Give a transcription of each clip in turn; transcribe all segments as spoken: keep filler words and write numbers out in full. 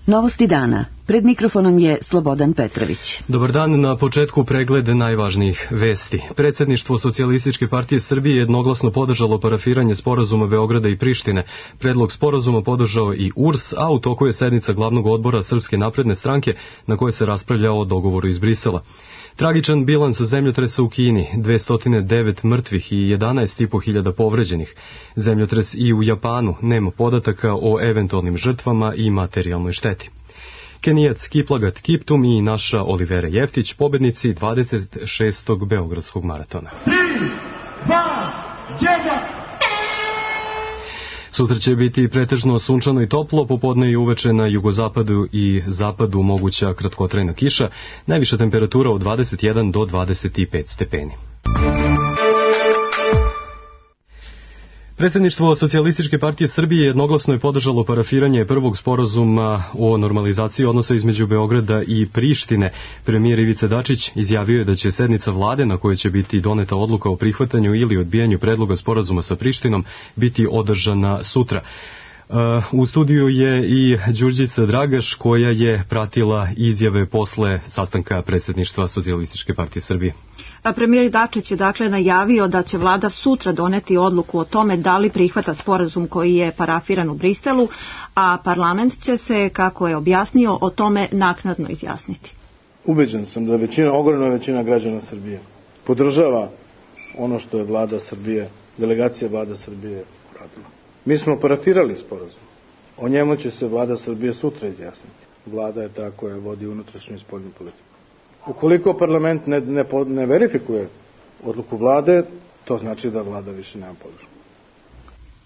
Novosti dana. Pred mikrofonom je Slobodan Petrović. Dobar dan, na početku pregled najvažnijih vesti. Predsjedništvo Socijalističke partije Srbije jednoglasno podržalo parafiranje sporazuma Beograda i Prištine. Predlog sporazuma podržao i U R S, a u toku je sednica glavnog odbora Srpske napredne stranke na kojoj se raspravlja o dogovoru iz Brisela. Tragičan bilans zemljotresa u Kini, dvesta devet mrtvih i jedanaest i po hiljada povređenih. Zemljotres i u Japanu, nema podataka o eventualnim žrtvama i materijalnoj šteti. Kenijac Kiplagat Kiptum i naša Olivera Jeftić, pobednici dvadeset šestog Beogradskog maratona. tri, dva, jedan Sutra će biti pretežno sunčano i toplo, popodne i uveče na jugozapadu i zapadu moguća kratkotrajna kiša, najviša temperatura od dvadeset jedan do dvadeset pet stepeni. Predsjedništvo Socijalističke partije Srbije jednoglasno je podržalo parafiranje prvog sporazuma o normalizaciji odnosa između Beograda i Prištine. Premijer Ivica Dačić izjavio je da će sednica vlade na kojoj će biti doneta odluka o prihvatanju ili odbijanju predloga sporazuma sa Prištinom biti održana sutra. U studiju je i Đurđica Dragaš koja je pratila izjave posle sastanka predsjedništva Socijalističke partije Srbije. A premijer Dačić je dakle najavio da će vlada sutra doneti odluku o tome da li prihvata sporazum koji je parafiran u Briselu, a parlament će se, kako je objasnio, o tome naknadno izjasniti. Ubeđen sam da većina, ogromna većina građana Srbije podržava ono što je vlada Srbije, delegacija vlada Srbije uradila. Mi smo parafirali sporazum. O njemu će se vlada Srbije sutra izjasniti. Vlada je ta koja vodi unutrašnju i spoljnu politiku. Ukoliko parlament ne, ne, ne verifikuje odluku vlade, to znači da vlada više nema podršku.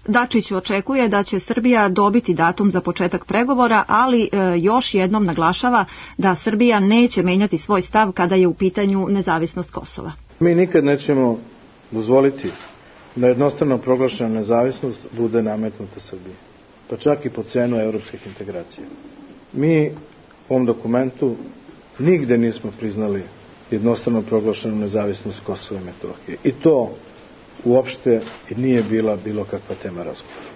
Dačić očekuje da će Srbija dobiti datum za početak pregovora, ali e, još jednom naglašava da Srbija neće menjati svoj stav kada je u pitanju nezavisnost Kosova. Mi nikad nećemo dozvoliti da jednostavno proglašena nezavisnost bude nametnuta Srbiji, pa čak i po cenu evropskih integracija. Mi u ovom dokumentu nigde nismo priznali jednostavno proglašenu nezavisnost Kosova i Metohije. I to uopšte nije bila bilo kakva tema razgovora.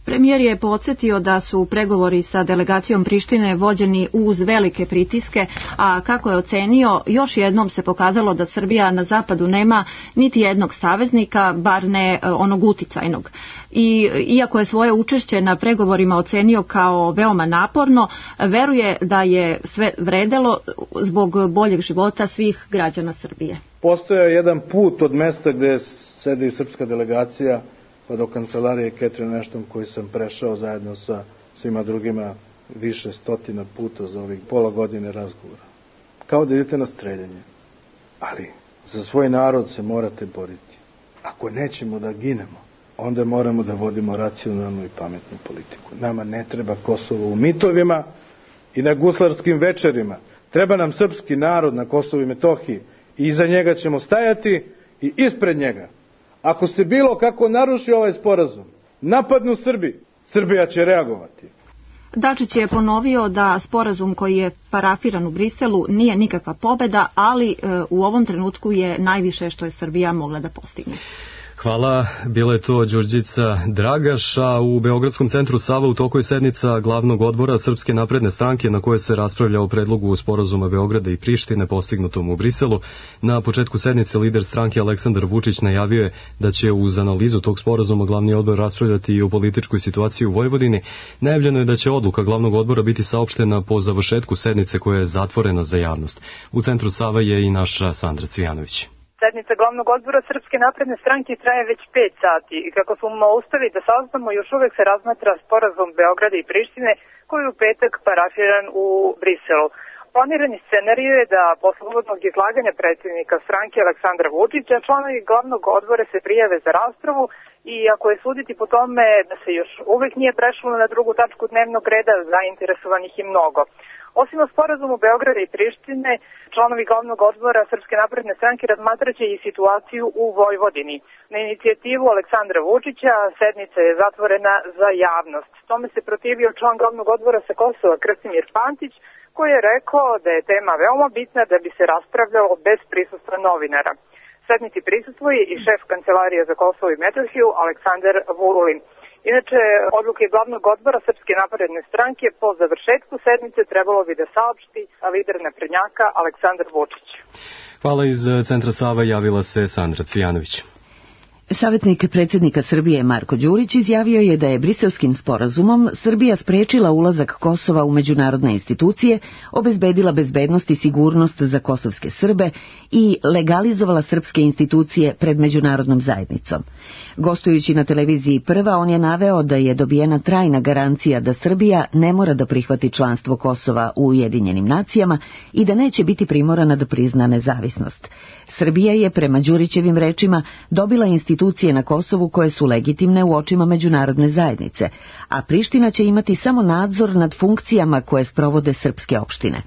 Premijer je podsjetio da su pregovori sa delegacijom Prištine vođeni uz velike pritiske, a kako je ocenio, još jednom se pokazalo da Srbija na zapadu nema niti jednog saveznika, bar ne onog uticajnog. I iako je svoje učešće na pregovorima ocenio kao veoma naporno, veruje da je sve vredelo zbog boljeg života svih građana Srbije. Postojao je jedan put od mesta gde sedi srpska delegacija pa do kancelarije Catherine Ashton koji sam prešao zajedno sa svima drugima više stotina puta za ovih pola godine razgovora. Kao da idete na streljanje. Ali za svoj narod se morate boriti. Ako nećemo da ginemo, onda moramo da vodimo racionalnu i pametnu politiku. Nama ne treba Kosovo u mitovima i na guslarskim večerima. Treba nam srpski narod na Kosovu i Metohiji i iza njega ćemo stajati i ispred njega. Ako se bilo kako naruši ovaj sporazum, napadnu Srbi, Srbija će reagovati. Dačić je ponovio da sporazum koji je parafiran u Briselu nije nikakva pobeda, ali e, u ovom trenutku je najviše što je Srbija mogla da postigne. Hvala, bila je to Đurđica Dragaš, a u Beogradskom centru Sava u toku je sednica glavnog odbora Srpske napredne stranke na kojoj se raspravlja o predlogu sporazuma Beograda i Prištine postignutom u Briselu. Na početku sednice lider stranke Aleksandar Vučić najavio je da će uz analizu tog sporazuma glavni odbor raspravljati i o političkoj situaciji u Vojvodini. Najavljeno je da će odluka glavnog odbora biti saopštena po završetku sednice koja je zatvorena za javnost. U centru Sava je i naša Sandra Cvijanović. Sednica glavnog odbora Srpske napredne stranke traje već pet sati i kako smo uspeli da saznamo, još uvek se razmatra sporazum Beograda i Prištine koji je u petak parafiran u Briselu. Planirani scenarij je da posle uvodnog izlaganja predsjednika stranke Aleksandra Vučića članovi glavnog odbora se prijave za raspravu i ako je suditi po tome da se još uvek nije prešlo na drugu tačku dnevnog reda, zainteresovanih i mnogo. Osim o sporazumu Beograda i Prištine, članovi glavnog odbora Srpske napredne stranke razmatraće i situaciju u Vojvodini. Na inicijativu Aleksandra Vučića sednica je zatvorena za javnost. Tome se protivio član glavnog odbora sa Kosova Krstimir Pantić, koji je rekao da je tema veoma bitna da bi se raspravljalo bez prisustva novinara. Sednici prisustvuje i šef Kancelarije za Kosovo i Metohiju Aleksandar Vulin. Inače, odluke glavnog odbora Srpske napredne stranke po završetku sednice trebalo bi da saopšti lider naprednjaka Aleksandar Vučić. Hvala. Iz Centra Sava javila se Sandra Cvijanović. Savjetnik predsjednika Srbije Marko Đurić izjavio je da je Briselskim sporazumom Srbija sprečila ulazak Kosova u međunarodne institucije, obezbedila bezbednost i sigurnost za kosovske Srbe i legalizovala srpske institucije pred međunarodnom zajednicom. Gostujući na televiziji Prva, on je naveo da je dobijena trajna garancija da Srbija ne mora da prihvati članstvo Kosova u Ujedinjenim nacijama i da neće biti primorana da prizna nezavisnost. Srbija je, prema Đurićevim rečima, dobila institucije na Kosovu koje su legitimne u očima međunarodne zajednice, a Priština će imati samo nadzor nad funkcijama koje sprovode srpske opštine.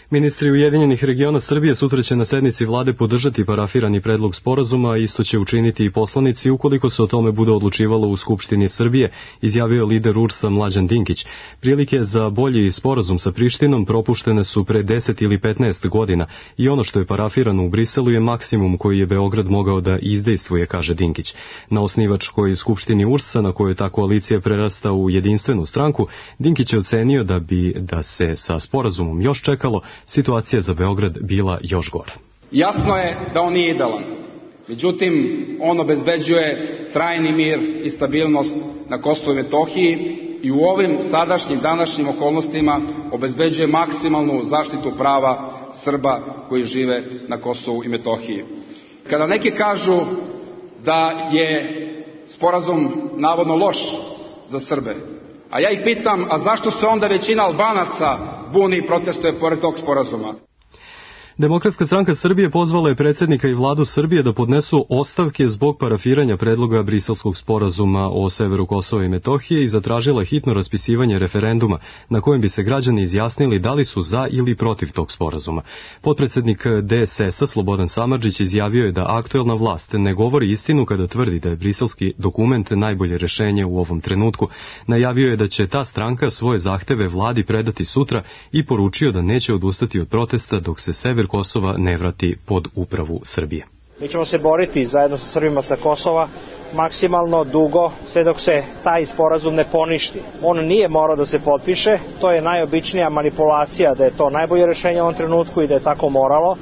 Ministri Ujedinjenih regiona Srbije sutra će na sednici vlade podržati parafirani predlog sporazuma, a isto će učiniti i poslanici ukoliko se o tome bude odlučivalo u Skupštini Srbije, izjavio je lider U R S-a Mlađan Dinkić. Prilike za bolji sporazum sa Prištinom propuštene su pre deset ili petnaest godina i ono što je parafirano u Briselu je maksimum koji je Beograd mogao da izdejstvuje, kaže Dinkić. Na osnivačkoj Skupštini U R S-a, na kojoj ta koalicija prerasta u jedinstvenu stranku, Dinkić je ocenio da bi da se sa sporazumom još čekalo, situacija za Beograd bila još gora. Jasno je da on nije idealan. Međutim, on obezbeđuje trajni mir i stabilnost na Kosovu i Metohiji i u ovim sadašnjim današnjim okolnostima obezbeđuje maksimalnu zaštitu prava Srba koji žive na Kosovu i Metohiji. Kada neki kažu da je sporazum navodno loš za Srbe, a ja ih pitam, a zašto se onda većina Albanaca buni i protestuje pored tog sporazuma? Demokratska stranka Srbije pozvala je predsjednika i vladu Srbije da podnesu ostavke zbog parafiranja predloga Briselskog sporazuma o severu Kosova i Metohije i zatražila hitno raspisivanje referenduma na kojem bi se građani izjasnili da li su za ili protiv tog sporazuma. Potpredsjednik D S S-a Slobodan Samardžić izjavio je da aktuelna vlast ne govori istinu kada tvrdi da je briselski dokument najbolje rešenje u ovom trenutku. Najavio je da će ta stranka svoje zahteve vladi predati sutra i poručio da neće odustati od protesta dok se sever Kosova ne vrati pod upravu Srbije. Mi ćemo se boriti zajedno sa Srbima sa Kosova maksimalno dugo, sve dok se taj sporazum ne poništi. On nije morao da se potpiše, to je najobičnija manipulacija da je to najbolje rešenje u ovom trenutku i da je tako moralo.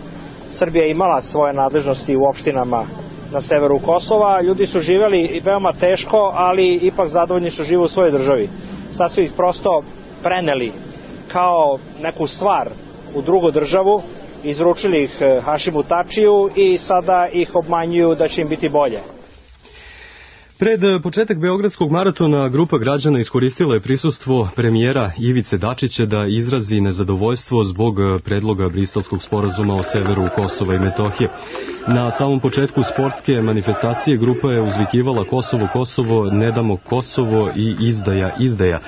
Srbija je imala svoje nadležnosti u opštinama na severu Kosova, ljudi su živjeli veoma teško, ali ipak zadovoljni su žive u svojoj državi. Sad su ih prosto preneli kao neku stvar u drugu državu, izručili ih Hašimu Tačiju i sada ih obmanjuju da će im biti bolje. Pred početak Beogradskog maratona grupa građana iskoristila je prisustvo premijera Ivice Dačića da izrazi nezadovoljstvo zbog predloga Briselskog sporazuma o severu Kosova i Metohije. Na samom početku sportske manifestacije grupa je uzvikivala Kosovo, Kosovo, ne damo Kosovo i izdaja, izdaja.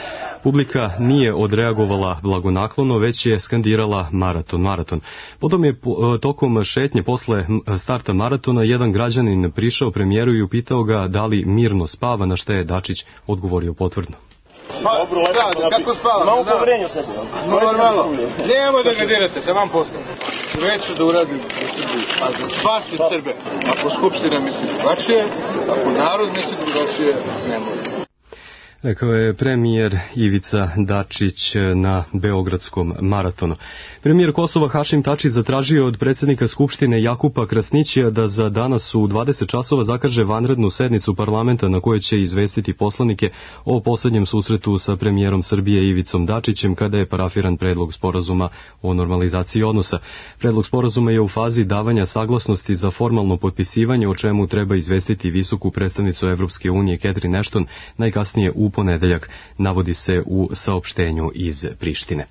Publika nije odreagovala blagonaklono, već je skandirala maraton, maraton. Potom je tokom šetnje posle starta maratona jedan građanin prišao premijeru i upitao ga da li mirno spava, na što je Dačić odgovorio potvrdno. Dobro, lepo, kako spava? Malo povrenju sebi. Normalno. Nemoj da ga dirate, da vam posle. Sve ću da uradim u Srbiji, a za spasi Srbe. Ako Skupština misli drugačije, ako narod misli drugačije, ne može. Rekao je premijer Ivica Dačić na Beogradskom maratonu. Premijer Kosova Hašim Tači zatražio od predsjednika Skupštine Jakupa Krasnićija da za danas u dvadeset časova zakaže vanrednu sednicu parlamenta na kojoj će izvestiti poslanike o poslednjem susretu sa premijerom Srbije Ivicom Dačićem kada je parafiran predlog sporazuma o normalizaciji odnosa. Predlog sporazuma je u fazi davanja saglasnosti za formalno potpisivanje, o čemu treba izvestiti visoku predstavnicu Evropske unije Catherine Ashton najkasnije u ponedeljak, navodi se u saopštenju iz Prištine.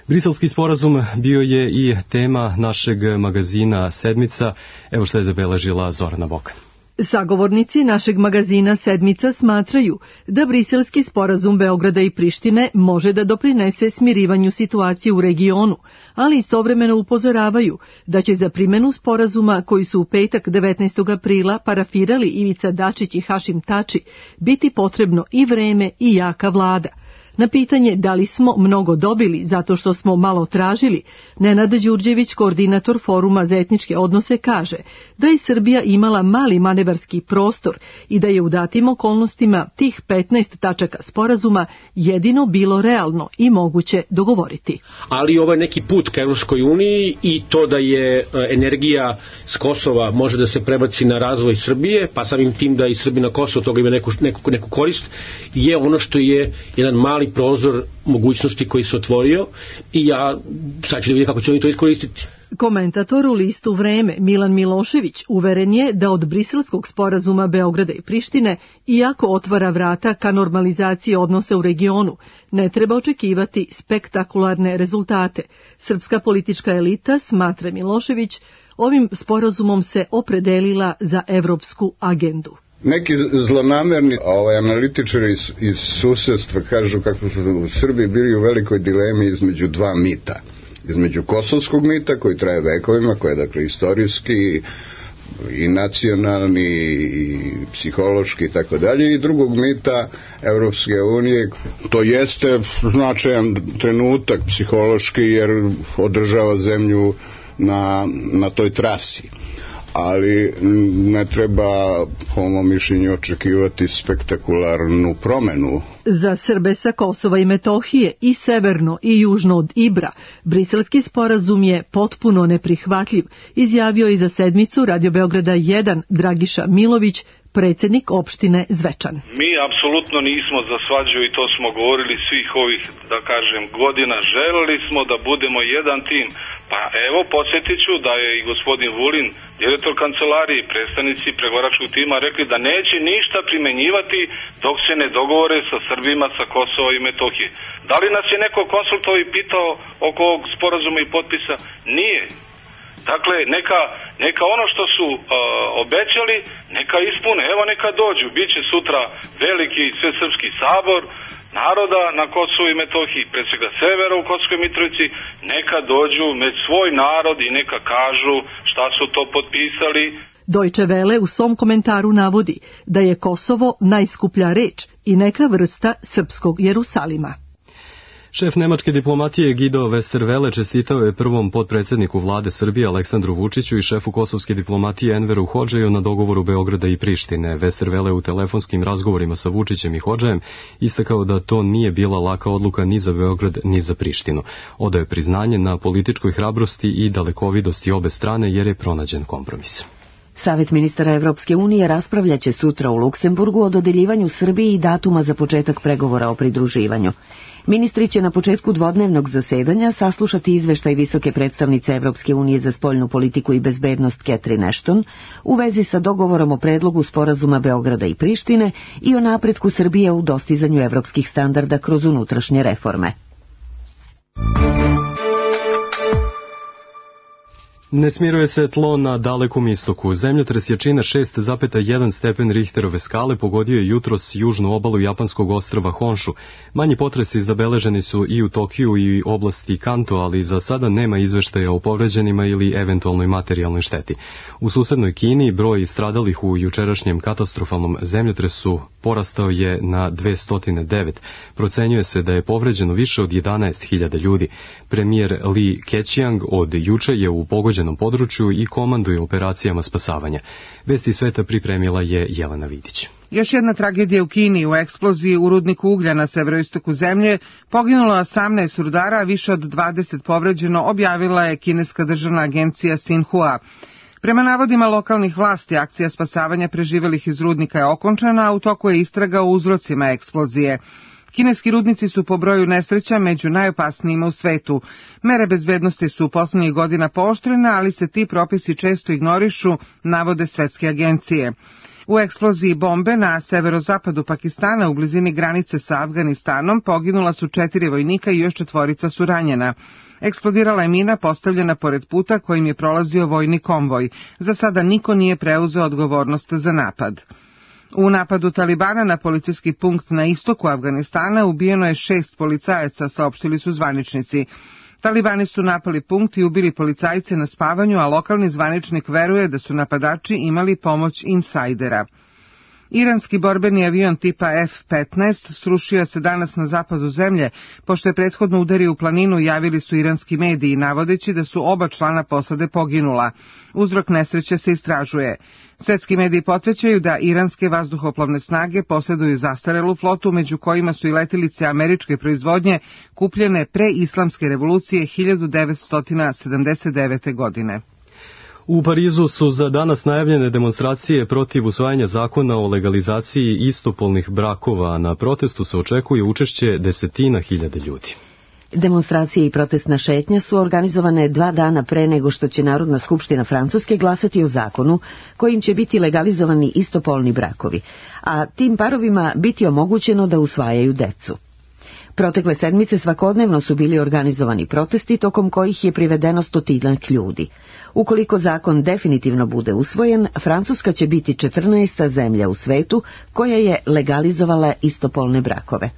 Briselski sporazum bio je i tema našeg magazina Sedmica. Evo što je zabeležila Zorana Bokan. Sagovornici našeg magazina Sedmica smatraju da Briselski sporazum Beograda i Prištine može da doprinese smirivanju situacije u regionu, ali istovremeno upozoravaju da će za primenu sporazuma koji su u petak devetnaestog aprila parafirali Ivica Dačić i Hašim Tači biti potrebno i vreme i jaka vlada. Na pitanje da li smo mnogo dobili zato što smo malo tražili, Nenad Đurđević, koordinator Foruma za etničke odnose, kaže da je Srbija imala mali manevarski prostor i da je u datim okolnostima tih petnaest tačaka sporazuma jedino bilo realno i moguće dogovoriti. Ali ovo je neki put ka Evropskoj uniji i to da je energija s Kosova može da se prebaci na razvoj Srbije, pa samim tim da i Srbi na Kosovo toga ima neku, neku, neku korist, je ono što je jedan mali prozor mogućnosti koji se otvorio i ja sad ću da vidim kako će oni to iskoristiti. Komentator u listu Vreme Milan Milošević uveren je da od briselskog sporazuma Beograda i Prištine, iako otvara vrata ka normalizaciji odnosa u regionu, ne treba očekivati spektakularne rezultate. Srpska politička elita, smatra Milošević, ovim sporazumom se opredelila za evropsku agendu. Neki zlonamerni ovaj, analitičari iz, iz susedstva kažu kako su u Srbiji bili u velikoj dilemi između dva mita. Između kosovskog mita koji traje vekovima, koji je dakle istorijski i nacionalni i psihološki i tako dalje, i drugog mita Evropske unije. To jeste značajan trenutak psihološki jer održava zemlju na, na toj trasi. Ali ne treba, po mom mišljenju, očekivati spektakularnu promenu. Za Srbe sa Kosova i Metohije i severno i južno od Ibra, briselski sporazum je potpuno neprihvatljiv, izjavio i za sedmicu Radio Beograda jedan Dragiša Milović, predsjednik opštine Zvečan. Mi apsolutno nismo za svađu i to smo govorili svih ovih, da kažem, godina. Želeli smo da budemo jedan tim. Pa evo, podsjetit ću da je i gospodin Vulin, direktor kancelarije i predstavnici pregovaračkog tima rekli da neće ništa primenjivati dok se ne dogovore sa Srbima sa Kosova i Metohije. Da li nas je neko konsultovao i pitao oko ovog sporazuma i potpisa? Nije. Dakle, neka, neka ono što su uh, obećali, neka ispune. Evo, neka dođu. Biće sutra veliki svesrpski sabor naroda na Kosovu i Metohiji, pre svega severa u Kosovskoj Mitrovici, neka dođu med svoj narod i neka kažu šta su to potpisali. Deutsche Welle u svom komentaru navodi da je Kosovo najskuplja reč i neka vrsta srpskog Jerusalima. Šef nemačke diplomatije Guido Westerwelle čestitao je prvom potpredsjedniku vlade Srbije Aleksandru Vučiću i šefu kosovske diplomatije Enveru Hodžeju na dogovoru Beograda i Prištine. Westerwelle u telefonskim razgovorima sa Vučićem i Hodžejem istakao da to nije bila laka odluka ni za Beograd ni za Prištinu. Odaje priznanje na političkoj hrabrosti i dalekovidosti obe strane jer je pronađen kompromis. Savet ministara Evropske unije raspravljaće sutra u Luksemburgu o dodeljivanju Srbiji i datuma za početak pregovora o pridruživanju. Ministri će na početku dvodnevnog zasedanja saslušati izveštaj visoke predstavnice Evropske unije za spoljnu politiku i bezbednost Catherine Ashton u vezi sa dogovorom o predlogu sporazuma Beograda i Prištine i o napretku Srbije u dostizanju evropskih standarda kroz unutrašnje reforme. Ne smiruje se tlo na Dalekom istoku. Zemljotres jačine šest zarez jedan stepen Richterove skale pogodio je jutros južnu obalu japanskog ostrva Honshu. Manji potresi zabeleženi su i u Tokiju i oblasti Kanto, ali za sada nema izveštaja o povređenima ili eventualnoj materijalnoj šteti. U susednoj Kini broj stradalih u jučerašnjem katastrofalnom zemljotresu porastao je na dvesta devet. Procenjuje se da je povređeno više od jedanaest hiljada ljudi. Premijer Li Keqiang od juče je u pogođenom području i komanduje operacijama spasavanja. Vesti sveta pripremila je Jelena Vidić. Još jedna tragedija u Kini. U eksploziji u rudniku uglja na severoistoku zemlje poginulo osamnaest rudara, a više od dvadeset povređeno, objavila je kineska državna agencija Xinhua. Prema navodima lokalnih vlasti, akcija spasavanja preživelih iz rudnika je okončana, a u toku je istraga o uzrocima eksplozije. Kineski rudnici su po broju nesreća među najopasnijima u svetu. Mere bezbednosti su u poslednjih godina pooštrene, ali se ti propisi često ignorišu, navode svetske agencije. U eksploziji bombe na severozapadu Pakistana u blizini granice sa Afganistanom poginula su četiri vojnika i još četvorica su ranjena. Eksplodirala je mina postavljena pored puta kojim je prolazio vojni konvoj. Za sada niko nije preuzeo odgovornost za napad. U napadu Talibana na policijski punkt na istoku Afganistana ubijeno je šest policajaca, saopštili su zvaničnici. Talibani su napali punkt i ubili policajce na spavanju, a lokalni zvaničnik veruje da su napadači imali pomoć insajdera. Iranski borbeni avion tipa F petnaest srušio se danas na zapadu zemlje, pošto je prethodno udario u planinu, javili su iranski mediji, navodeći da su oba člana posade poginula. Uzrok nesreće se istražuje. Svetski mediji podsjećaju da iranske vazduhoplovne snage posjeduju zastarelu flotu, među kojima su i letilice američke proizvodnje kupljene pre islamske revolucije hiljadu devetsto sedamdeset devete. godine. U Parizu su za danas najavljene demonstracije protiv usvajanja zakona o legalizaciji istopolnih brakova, a na protestu se očekuje učešće desetina hiljada ljudi. Demonstracije i protestna šetnja su organizovane dva dana pre nego što će Narodna skupština Francuske glasati o zakonu kojim će biti legalizovani istopolni brakovi, a tim parovima biti omogućeno da usvajaju decu. Protekle sedmice svakodnevno su bili organizovani protesti tokom kojih je privedeno stotinak ljudi. Ukoliko zakon definitivno bude usvojen, Francuska će biti četrnaesta zemlja u svetu koja je legalizovala istopolne brakove.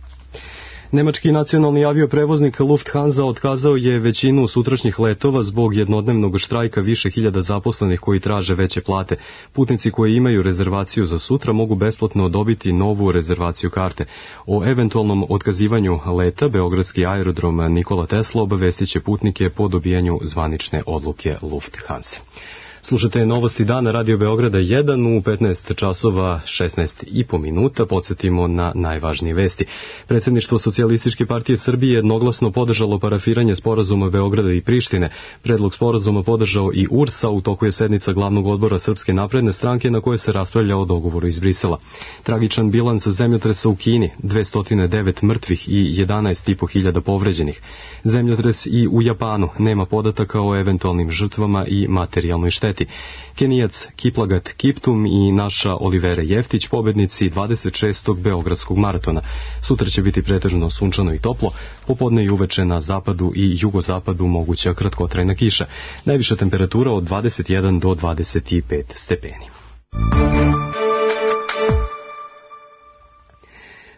Nemački nacionalni avioprevoznik Lufthansa otkazao je većinu sutrašnjih letova zbog jednodnevnog štrajka više hiljada zaposlenih koji traže veće plate. Putnici koji imaju rezervaciju za sutra mogu besplatno dobiti novu rezervaciju karte. O eventualnom otkazivanju leta beogradski aerodrom Nikola Tesla obavestit će putnike po dobijanju zvanične odluke Lufthansa. Slušate novosti dana Radio Beograda jedan u petnaest časova šesnaest i po minuta. Podsjetimo na najvažnije vesti. Predsjedništvo Socijalističke partije Srbije jednoglasno podržalo parafiranje sporazuma Beograda i Prištine. Predlog sporazuma podržao i U R S, a u toku je sednica glavnog odbora Srpske napredne stranke na kojoj se raspravlja o dogovoru iz Brisela. Tragičan bilans zemljotresa u Kini, dvesta devet mrtvih i jedanaest i po hiljada povređenih. Zemljotres i u Japanu, nema podataka o eventualnim žrtvama i materijalnoj šteti. Kenijac Kiplagat Kiptum i naša Olivera Jeftić, pobednici dvadeset šestog beogradskog maratona. Sutra će biti pretežno sunčano i toplo, popodne i uveče na zapadu i jugozapadu moguća kratkotrajna kiša. Najviša temperatura od dvadeset jedan do dvadeset pet stepeni.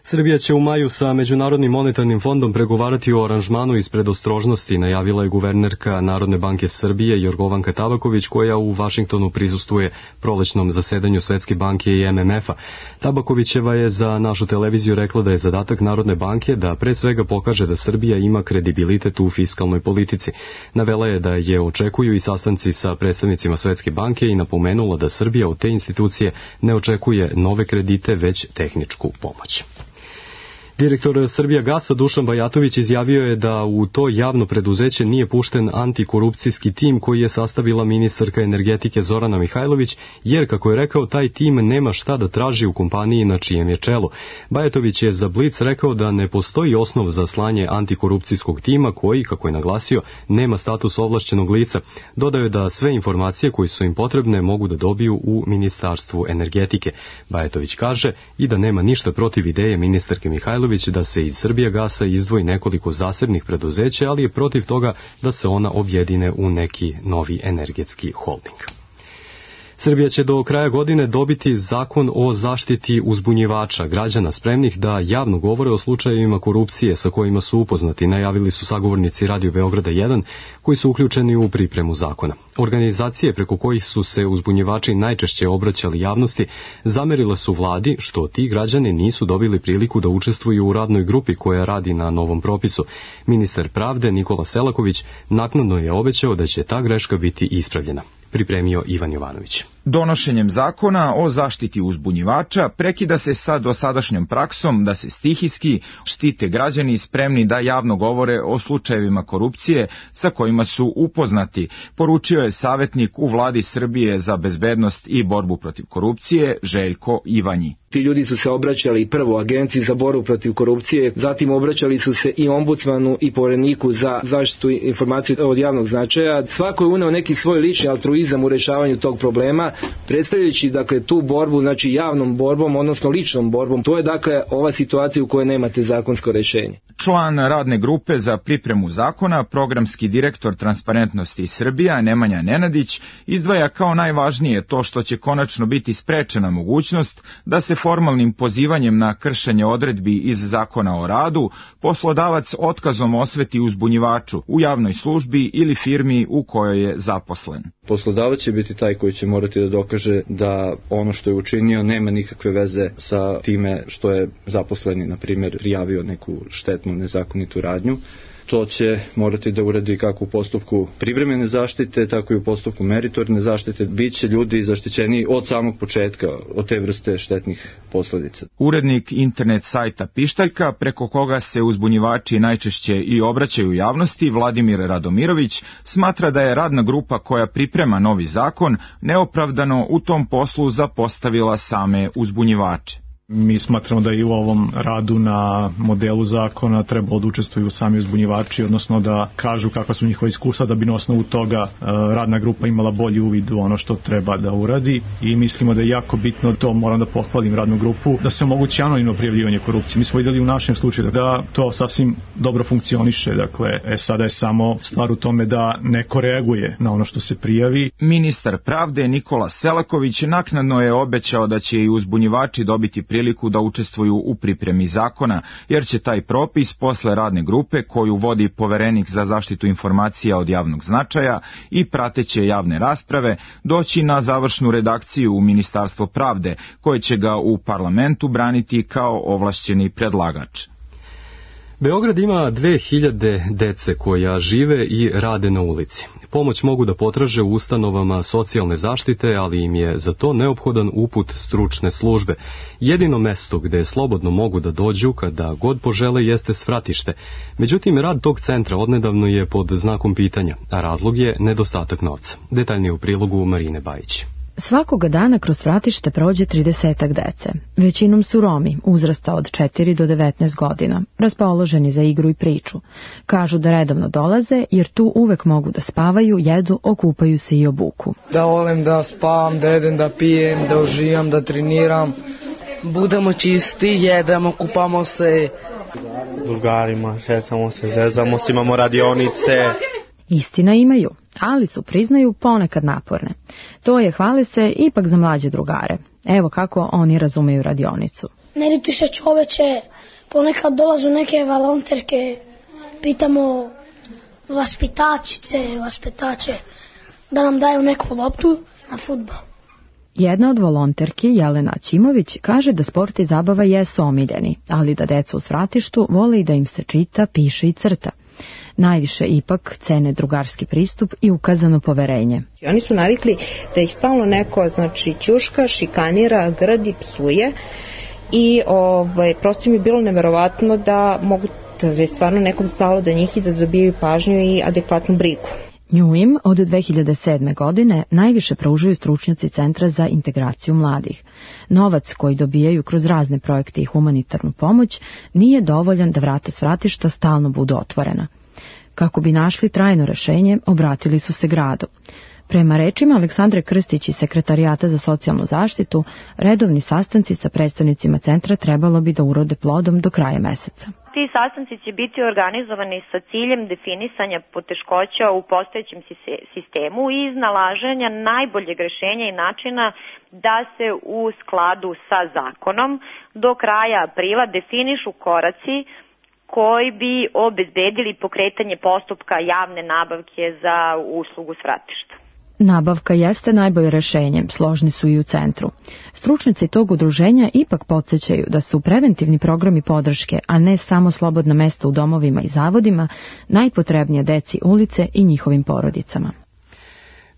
Srbija će u maju sa Međunarodnim monetarnim fondom pregovarati o aranžmanu iz predostrožnosti, najavila je guvernerka Narodne banke Srbije Jorgovanka Tabaković, koja u Vašingtonu prisustuje prolećnom zasedanju Svetske banke i M M F-a. Tabakovićeva je za našu televiziju rekla da je zadatak Narodne banke da pre svega pokaže da Srbija ima kredibilitet u fiskalnoj politici. Navela je da je očekuju i sastanci sa predstavnicima Svetske banke i napomenula da Srbija od te institucije ne očekuje nove kredite, već tehničku pomoć. Direktor Srbijagasa Dušan Bajatović izjavio je da u to javno preduzeće nije pušten antikorupcijski tim koji je sastavila ministarka energetike Zorana Mihajlović, jer, kako je rekao, taj tim nema šta da traži u kompaniji na čijem je čelu. Bajatović je za Blic rekao da ne postoji osnov za slanje antikorupcijskog tima koji, kako je naglasio, nema status ovlašćenog lica. Dodao je da sve informacije koje su im potrebne mogu da dobiju u Ministarstvu energetike. Bajatović kaže i da nema ništa protiv ideje ministarke Mihajlović da se iz Srbijagasa izdvoji nekoliko zasebnih preduzeća, ali je protiv toga da se ona objedine u neki novi energetski holding. Srbija će do kraja godine dobiti zakon o zaštiti uzbunjivača, građana spremnih da javno govore o slučajevima korupcije sa kojima su upoznati, najavili su sagovornici Radio Beograda jedan koji su uključeni u pripremu zakona. Organizacije preko kojih su se uzbunjivači najčešće obraćali javnosti zamerile su vladi što ti građani nisu dobili priliku da učestvuju u radnoj grupi koja radi na novom propisu. Ministar pravde Nikola Selaković naknadno je obećao da će ta greška biti ispravljena. Pripremio Ivan Jovanović. Donošenjem zakona o zaštiti uzbunjivača prekida se sa dosadašnjom praksom da se stihijski štite građani spremni da javno govore o slučajevima korupcije sa kojima su upoznati, poručio je savjetnik u vladi Srbije za bezbednost i borbu protiv korupcije Željko Ivanji. Ti ljudi su se obraćali prvo Agenciji za borbu protiv korupcije, zatim obraćali su se i ombudsmanu i Povereniku za zaštitu informacije od javnog značaja. Svako je uneo neki svoj lični altruizam u rešavanju tog problema, predstavljajući dakle tu borbu, znači javnom borbom, odnosno ličnom borbom. To je dakle ova situacija u kojoj nemate zakonsko rešenje. Član radne grupe za pripremu zakona, programski direktor Transparentnosti Srbija Nemanja Nenadić izdvaja kao najvažnije to što će konačno biti sprečena mogućnost da se formalnim pozivanjem na kršenje odredbi iz Zakona o radu, poslodavac otkazom osveti uzbunjivaču u javnoj službi ili firmi u kojoj je zaposlen. Poslodavac će biti taj koji će morati da dokaže da ono što je učinio nema nikakve veze sa time što je zaposleni, na primjer, prijavio neku štetnu, nezakonitu radnju. To će morati da uradi kako u postupku privremene zaštite, tako i u postupku meritorne zaštite. Biće ljudi zaštićeni od samog početka od te vrste štetnih posledica. Urednik internet sajta Pištaljka, preko koga se uzbunjivači najčešće i obraćaju javnosti, Vladimir Radomirović, smatra da je radna grupa koja priprema novi zakon neopravdano u tom poslu zapostavila same uzbunjivače. Mi smatramo da i u ovom radu na modelu zakona treba da učestvuju sami uzbunjivači, odnosno da kažu kakva su njihova iskustva, da bi na osnovu toga radna grupa imala bolji uvid u ono što treba da uradi, i mislimo da je jako bitno, to moram da pohvalim radnu grupu, da se omogući anonimno prijavljivanje korupcije. Mi smo videli u našem slučaju da to sasvim dobro funkcioniše, dakle, e, sada je samo stvar u tome da neko reaguje na ono što se prijavi. Ministar pravde Nikola Selaković naknadno je obećao da će i uzbunjivači dobiti priliku da učestvuju u pripremi zakona, jer će taj propis posle radne grupe koju vodi poverenik za zaštitu informacija od javnog značaja i prateće javne rasprave doći na završnu redakciju u Ministarstvo pravde, koje će ga u parlamentu braniti kao ovlašćeni predlagač. Beograd ima dve hiljade dece koja žive i rade na ulici. Pomoć mogu da potraže u ustanovama socijalne zaštite, ali im je za to neophodan uput stručne službe. Jedino mesto gde slobodno mogu da dođu kada god požele jeste svratište. Međutim, rad tog centra odnedavno je pod znakom pitanja, a razlog je nedostatak novca. Detaljnije u prilogu Marine Bajić. Svakoga dana kroz svratište prođe tridesetak dece. Većinom su Romi, uzrasta od četiri do devetnaest godina, raspoloženi za igru i priču. Kažu da redovno dolaze jer tu uvek mogu da spavaju, jedu, okupaju se i obuku. Da volim da spavam, da jedem, da pijem, da uživam, da treniram. Budemo čisti, jedemo, kupamo se. Drugarima, šetamo se, zezamo se, imamo radionice. Istina imaju, ali su, priznaju, ponekad naporne. To je, hvale se, ipak za mlađe drugare. Evo kako oni razumeju radionicu. Ne rituj se čoveče, ponekad dolazu neke volonterke, pitamo vaspitačice, vaspitače da nam daju neku loptu na fudbal. Jedna od volonterki, Jelena Ćimović, kaže da sport i zabava jesu omiljeni, ali da deca u svratištu vole i da im se čita, piše i crta. Najviše ipak cene drugarski pristup i ukazano poverenje. Oni su navikli da ih stalno neko, znači, ćuška, šikanira, grdi, psuje i ovaj, prosto mi je bilo neverovatno da mogu da je stvarno nekom stalo da njih i da dobijaju pažnju i adekvatnu brigu. Nju im od dve hiljade sedme. godine najviše pružaju stručnjaci Centra za integraciju mladih. Novac koji dobijaju kroz razne projekte i humanitarnu pomoć nije dovoljan da vrata svratišta stalno budu otvorena. Kako bi našli trajno rešenje, obratili su se gradu. Prema rečima Aleksandre Krstić iz Sekretarijata za socijalnu zaštitu, redovni sastanci sa predstavnicima centra trebalo bi da urode plodom do kraja meseca. Ti sastanci će biti organizovani sa ciljem definisanja poteškoća u postojećem sistemu i iznalaženja najboljeg rešenja i načina da se u skladu sa zakonom do kraja aprila definišu koraci koji bi obezbedili pokretanje postupka javne nabavke za uslugu svratišta. Nabavka jeste najbolje rešenje, složni su i u centru. Stručnici tog udruženja ipak podsjećaju da su preventivni programi podrške, a ne samo slobodna mesta u domovima i zavodima, najpotrebnije deci ulice i njihovim porodicama.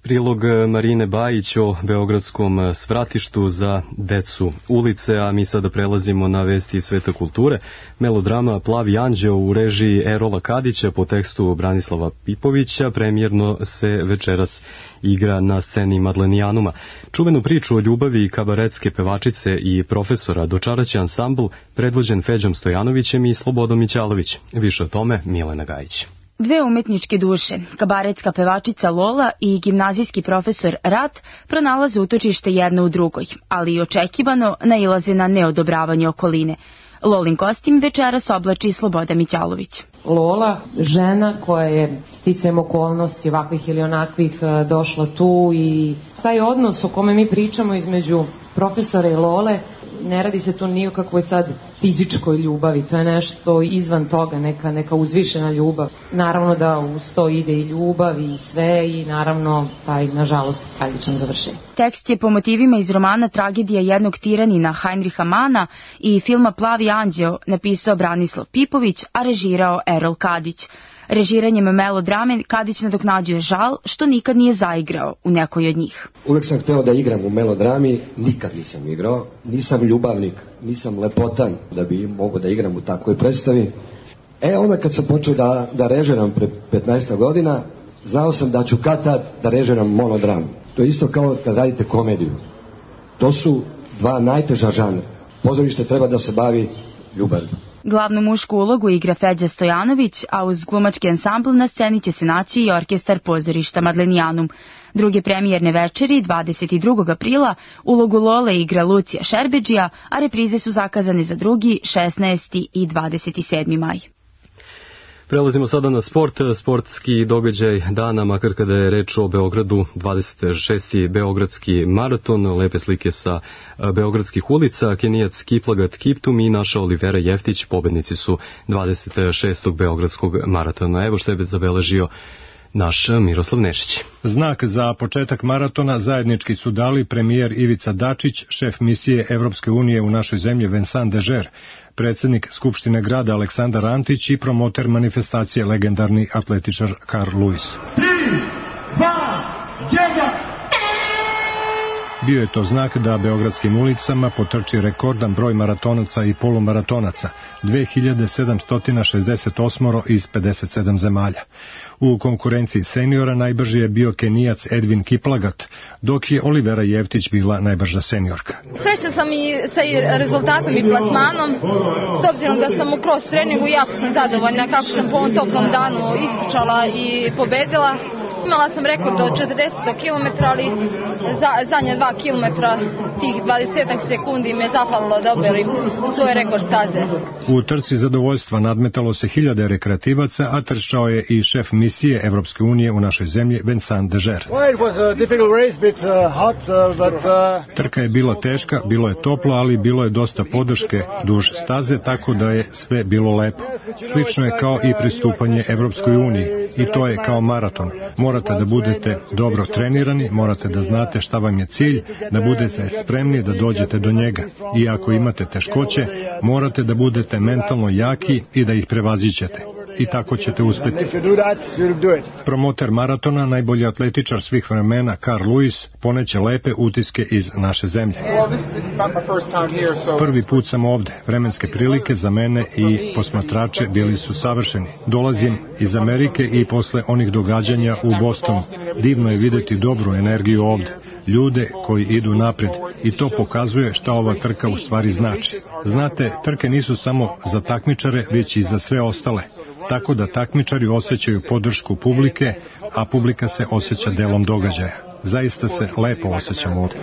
Prilog Marine Bajić o beogradskom svratištu za decu ulice, a mi sada prelazimo na vesti iz sveta kulture. Melodrama Plavi anđeo u režiji Erola Kadića po tekstu Branislava Pipovića premijerno se večeras igra na sceni Madlenijanuma. Čuvenu priču o ljubavi kabaretske pevačice i profesora dočaraće ansambl predvođen Feđom Stojanovićem i Slobodom Mićalović. Više o tome Milena Gajić. Dve umetničke duše, kabaretska pevačica Lola i gimnazijski profesor Rat, pronalaze utočište jedna u drugoj, ali i očekivano nailaze na neodobravanje okoline. Lolin kostim večeras oblači Sloboda Mićalović. Lola, žena koja je sticajem okolnosti ovakvih ili onakvih došla tu i taj odnos o kome mi pričamo između profesora i Lole, ne radi se tu ni o kakvoj sad fizičkoj ljubavi, to je nešto izvan toga, neka, neka uzvišena ljubav. Naravno da uz to ide i ljubav i sve i naravno taj, nažalost, tragičan završenje. Tekst je po motivima iz romana Tragedija jednog tiranina Heinricha Mana i filma Plavi anđeo napisao Branislav Pipović, a režirao Erol Kadić. Režiranjem melodrame Kadić nadoknađuje žal što nikad nije zaigrao u nekoj od njih. Uvek sam hteo da igram u melodrami, nikad nisam igrao, nisam ljubavnik, nisam lepotan da bi mogao da igram u takvoj predstavi. E onda kad sam počeo da, da režiram pre petnaest godina, znao sam da ću kad tad da režiram monodram. To je isto kao kad radite komediju. To su dva najteža žanra. Pozorište treba da se bavi ljubavlju. Glavnu mušku ulogu igra Feđa Stojanović, a uz glumački ansambl na sceni će se naći i orkestar pozorišta Madlenijanum. Druge premijerne večeri, dvadeset drugog aprila, ulogu Lole igra Lucija Šerbedžija, a reprize su zakazane za drugi, šesnaesti i dvadeset sedmi maj. Prelazimo sada na sport, sportski događaj dana, makar kada je reč o Beogradu, dvadeset šesti Beogradski maraton, lepe slike sa beogradskih ulica, Kenijac Kiplagat Kiptum i naša Olivera Jeftić, pobednici su dvadeset šestog Beogradskog maratona. Evo što je zabeležio naš Miroslav Nešić. Znak za početak maratona zajednički su dali premijer Ivica Dačić, šef misije Evropske unije u našoj zemlji Vincent Dežer, predsjednik Skupštine grada Aleksandar Antić i promoter manifestacije legendarni atletičar Carl Lewis. tri, dva, jedan Bio je to znak da beogradskim ulicama potrči rekordan broj maratonaca i polumaratonaca, dve hiljade sedamsto šezdeset osam iz pedeset sedam zemalja. U konkurenciji seniora najbrži je bio Kenijac Edvin Kiplagat, dok je Olivera Jeftić bila najbrža seniorka. Srećna sam i sa rezultatom i plasmanom, s obzirom da sam u cross treningu jako sam zadovoljna kako sam po ovom toplom danu ističala i pobedila. Imala sam rekord od četrdeset kilometara, ali za, zadnje dva kilometra, tih dvadeset sekundi me zapalilo da oberim svoj rekord staze. U trci zadovoljstva nadmetalo se hiljade rekreativaca, a trčao je i šef misije Evropske unije u našoj zemlji Vincent Dežer. Trka je bila teška, bilo je toplo, ali bilo je dosta podrške duž staze, tako da je sve bilo lepo. Slično je kao i pristupanje Evropskoj uniji, i to je kao maraton. Morate da budete dobro trenirani, morate da znate šta vam je cilj, da budete spremni da dođete do njega. I ako imate teškoće, morate da budete mentalno jaki i da ih prevazićete. I tako ćete uspjeti. Promoter maratona, najbolji atletičar svih vremena, Carl Lewis, poneće lepe utiske iz naše zemlje. Prvi put sam ovde. Vremenske prilike za mene i posmatrače bili su savršeni. Dolazim iz Amerike i posle onih događanja u Bostonu. Divno je videti dobru energiju ovde. Ljude koji idu napred, i to pokazuje šta ova trka u stvari znači. Znate, trke nisu samo za takmičare, već i za sve ostale. Tako da takmičari osjećaju podršku publike, a publika se osjeća delom događaja. Zaista se lepo osjećam ovdje.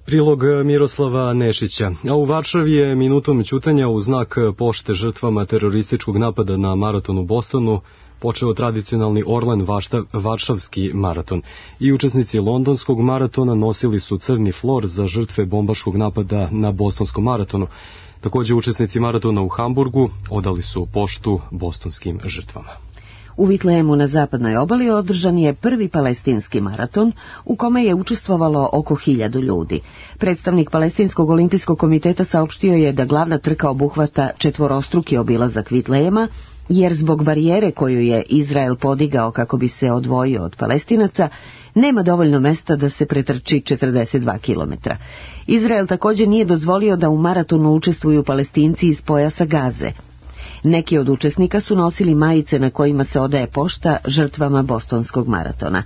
Prilog Miroslava Nešića. A u Varšavi je minutom ćutanja u znak pošte žrtvama terorističkog napada na maraton u Bostonu počeo tradicionalni Orlen Varšavski maraton. I učesnici londonskog maratona nosili su crni flor za žrtve bombaškog napada na bostonskom maratonu. Također učesnici maratona u Hamburgu odali su poštu bostonskim žrtvama. U Vitlejemu na zapadnoj obali održan je prvi palestinski maraton u kome je učestvovalo oko hiljadu ljudi. Predstavnik Palestinskog olimpijskog komiteta saopštio je da glavna trka obuhvata četvorostruki obilazak Vitlejema, jer zbog barijere koju je Izrael podigao kako bi se odvojio od Palestinaca, nema dovoljno mesta da se pretrči četrdeset dva kilometra. Izrael također nije dozvolio da u maratonu učestvuju Palestinci iz pojasa Gaze. Neki od učesnika su nosili majice na kojima se odaje pošta žrtvama bostonskog maratona.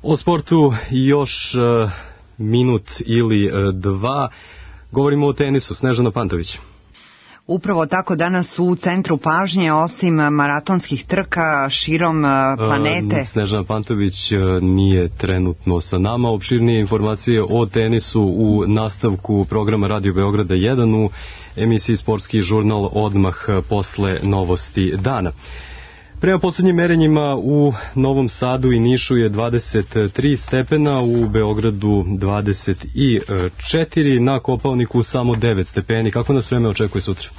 O sportu još uh, minut ili uh, dva. Govorimo o tenisu. Snežana Pantović. Upravo tako danas u centru pažnje, osim maratonskih trka širom planete. Uh, Snežana Pantović uh, nije trenutno sa nama. Opširnije informacije o tenisu u nastavku programa Radio Beograda jedan u emisiji Sportski žurnal odmah posle novosti dana. Prema poslednjim merenjima u Novom Sadu i Nišu je dvadeset tri stepena, u Beogradu dvadeset četiri, na Kopaoniku samo devet stepeni. Kako nas vreme očekuje sutra?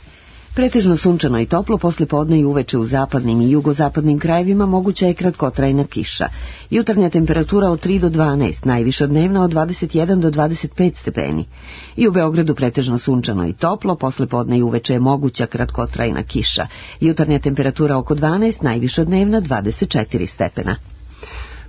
Pretežno sunčano i toplo, posle podne i uveče u zapadnim i jugozapadnim krajevima moguća je kratkotrajna kiša. Jutarnja temperatura od tri do dvanaest, najviša dnevna od dvadeset jedan do dvadeset pet stepeni. I u Beogradu pretežno sunčano i toplo, posle podne i uveče je moguća kratkotrajna kiša. Jutarnja temperatura oko dvanaest, najviša dnevna dvadeset četiri stepena.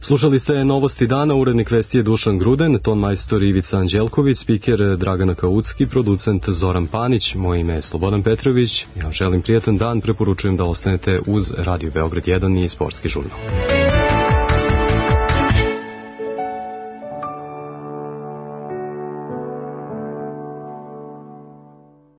Slušali ste Novosti dana, urednik vesti je Dušan Gruden, ton majstor Ivica Anđelković, spiker Dragana Kaucki, producent Zoran Panić, moje ime je Slobodan Petrović. Ja vam želim prijatan dan, preporučujem da ostanete uz Radio Beograd jedan i Sportski žurnal.